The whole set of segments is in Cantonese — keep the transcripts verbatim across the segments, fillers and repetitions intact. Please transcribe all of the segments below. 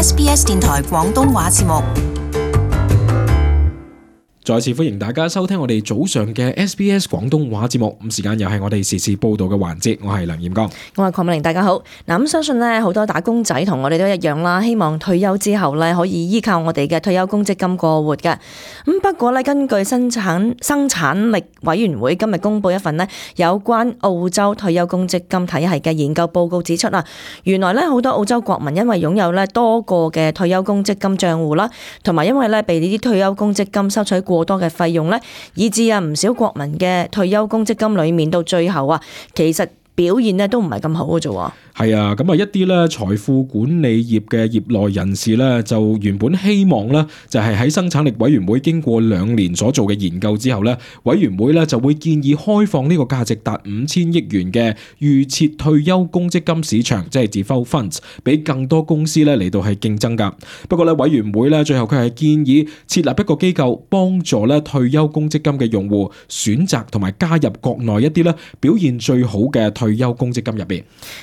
S B S 電台廣東話節目。再次歡迎大家收聽我哋早上嘅 S B S 廣東話節目，咁時間又係我哋時事報道嘅環節，我係梁彥剛，我係鄺美玲，大家好。嗱，咁相信咧好多打工仔同我哋都一樣啦，希望退休之後咧可以依靠我哋嘅退休公積金過活嘅。咁不過咧，根據生產生產力委員會今日公布一份咧有關澳洲退休公積金體系嘅研究報告指出啊，原來咧好多澳洲國民因為擁有咧多個嘅退休公積金賬戶啦，同埋因為咧被呢啲退休公積金收取過多嘅費用咧，以致啊唔少國民嘅退休公積金裏面到最後啊，其實表現咧都唔係咁好嘅啫。係啊，咁啊一啲咧財富管理業嘅業內人士咧，就原本希望咧就係喺生產力委員會經過兩年所做嘅研究之後咧，委員會咧就會建議開放呢個價值達五千億元嘅預設退休公積金市場，即係 default funds， 俾更多公司咧嚟到係競爭噶。不過咧委員會咧最後佢係建議設立一個機構，幫助咧退休公積金嘅用戶選擇同埋加入國內一啲咧表現最好嘅退休公積金入邊。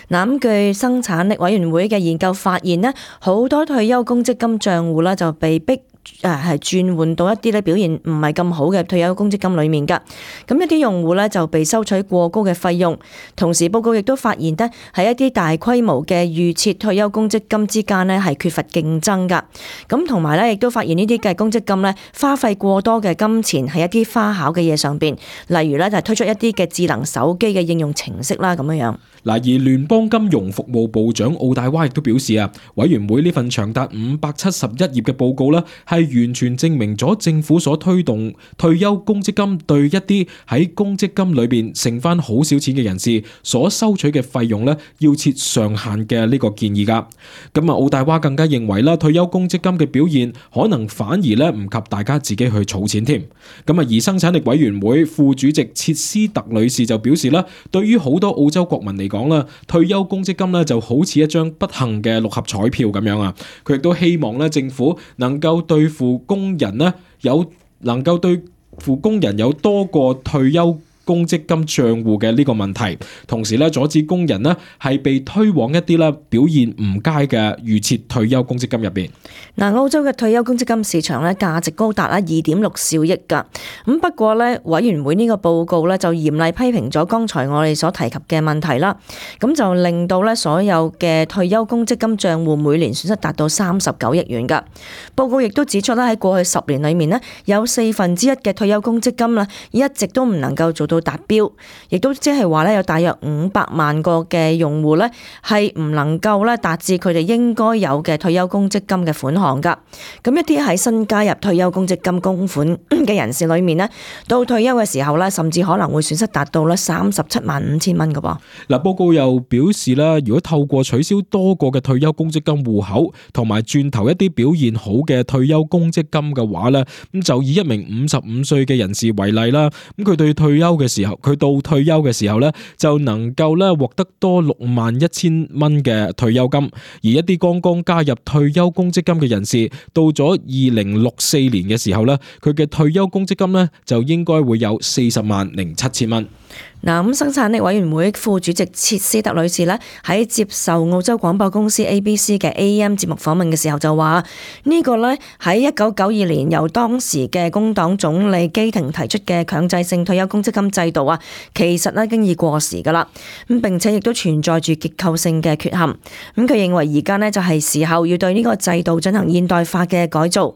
嗱，據生產力委員會嘅研究發現咧，好多退休公積金賬戶咧就被逼誒係轉換到一啲咧表現唔係咁好嘅退休公積金裏面噶。咁一啲用戶咧就被收取過高嘅費用。同時報告亦都發現咧，喺一啲大規模嘅預設退休公積金之間咧係缺乏競爭噶。咁同埋咧亦都發現呢啲嘅公積金咧花費過多嘅金錢喺一啲花巧嘅嘢上邊，例如咧就係推出一啲嘅智能手機嘅應用程式啦咁樣樣。嗱，而聯邦金融服務部長奧大娃亦都表示啊，委員會呢份長達五百七十一頁嘅報告咧，係完全證明咗政府所推動退休公積金對一啲喺公積金裏邊剩翻好少錢嘅人士所收取嘅費用咧，要設上限嘅呢個建議噶。咁啊，奧大娃更加認為啦，退休公積金嘅表現可能反而咧唔及大家自己去儲錢添。咁啊，而生產力委員會副主席切斯特女士就表示啦，對於好多澳洲國民嚟講，講啦，退休公積金咧就好似一張不幸嘅六合彩票咁樣啊！佢亦都希望咧政府能夠對付工人咧有能夠對付工人有多個退休公積金賬戶嘅呢個問題，同時咧阻止工人咧係被推往一啲咧表現唔佳嘅預設退休公積金入邊。嗱，澳洲嘅退休公積金市場咧價值高達啊二點六兆億㗎。咁不過咧委員會呢個報告咧就嚴厲批評咗剛才我哋所提及嘅問題啦。咁就令到咧所有嘅退休公積金賬戶每年損失達到三十九億元㗎。報告亦都指出咧喺過去十年裏面咧有四分之一嘅退休公積金啦一直都唔能夠做到達標，亦都即係話咧有大約五百萬個嘅用戶咧係唔能夠咧達至佢哋應該有嘅退休公積金嘅款項噶。咁一啲喺新加入退休公積金供款嘅人士裏面咧，到退休嘅時候咧，甚至可能會損失達到咧三十七萬五千蚊噶噃。嗱，報告又表示啦，如果透過取消多個嘅退休公積金戶口，同埋轉投一啲表現好嘅退休公積金嘅話咧，咁就以一名五十五歲嘅人士為例啦，咁佢對退休嘅時候，佢到退休嘅時候咧，就能夠咧獲得多六萬一千蚊嘅退休金，而一啲剛剛加入退休公積金嘅人士，到咗二零六四年嘅時候咧，佢嘅退休公積金咧就應該會有四十萬零七千蚊。嗱，咁生產力委員會副主席切斯特女士咧喺接受澳洲廣播公司 A B C 嘅 A M 節目訪問嘅時候就話：呢個咧喺一九九二年由當時嘅工黨總理基廷提出嘅強制性退休公積金制度啊，其實咧已經已過時噶啦。咁並且亦都存在住結構性嘅缺陷。咁佢認為而家咧就係時候要對呢個制度進行現代化嘅改造，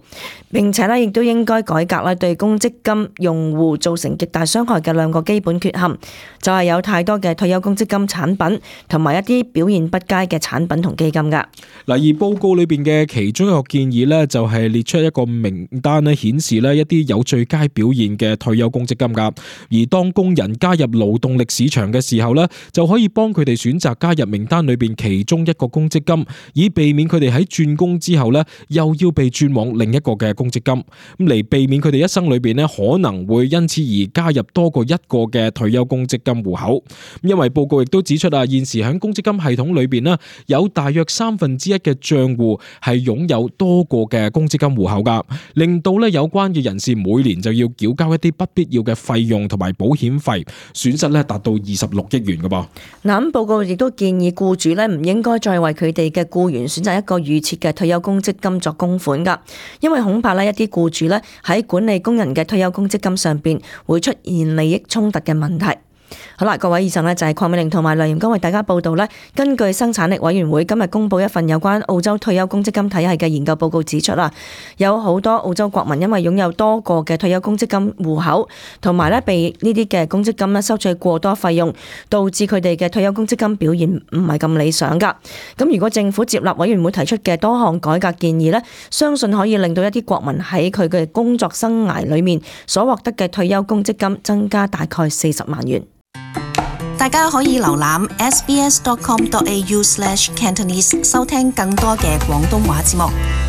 並且咧亦都應該改革咧對公積金用戶造成極大傷害嘅兩個基本缺陷。就係有太多嘅退休公積金產品，同埋一啲表現不佳嘅產品同基金噶。嗱，而報告裏邊嘅其中一個建議咧，就係列出一個名單咧，顯示咧一啲有最佳表現嘅退休公積金噶。而當工人加入勞動力市場嘅時候咧，就可以幫佢哋選擇加入名單裏邊其中一個公積金，以避免佢哋喺轉工之後咧，又要被轉往另一個嘅公積金，咁嚟避免佢哋一生裏邊咧可能會因此而加入多過一個嘅退休公積金戶口。因為報告亦都指出啊，現時喺公積金系統裏邊咧，有大約三分之一嘅賬戶係擁有多個嘅公積金戶口噶，令到咧有關嘅人士每年就要繳交一啲不必要嘅費用同埋保險費，損失咧達到二十六億元嘅噃。嗱，咁報告亦都建議僱主咧唔應該再為佢哋嘅僱員選擇一個預設嘅退休公積金作供款㗎，因為恐怕咧一啲僱主咧喺管理工人嘅退休公積金上邊會出現利益衝突嘅問題。好啦，各位，以上呢就係鄺美玲同埋梁炎光為大家報道呢，根據生產力委員會今日公布一份有關澳洲退休公積金體系嘅研究報告指出啦，有好多澳洲國民因為擁有多個嘅退休公積金戶口，同埋呢被呢啲嘅公積金呢收取過多費用，導致佢哋嘅退休公積金表現唔係咁理想噶。咁如果政府接納委員會提出嘅多項改革建議呢，相信可以令到一啲國民喺佢嘅工作生涯裏面所獲得嘅退休公積金增加大概四十萬元。大家可以瀏覽 s b s dot com dot a u slash cantonese 收聽更多嘅廣東話節目。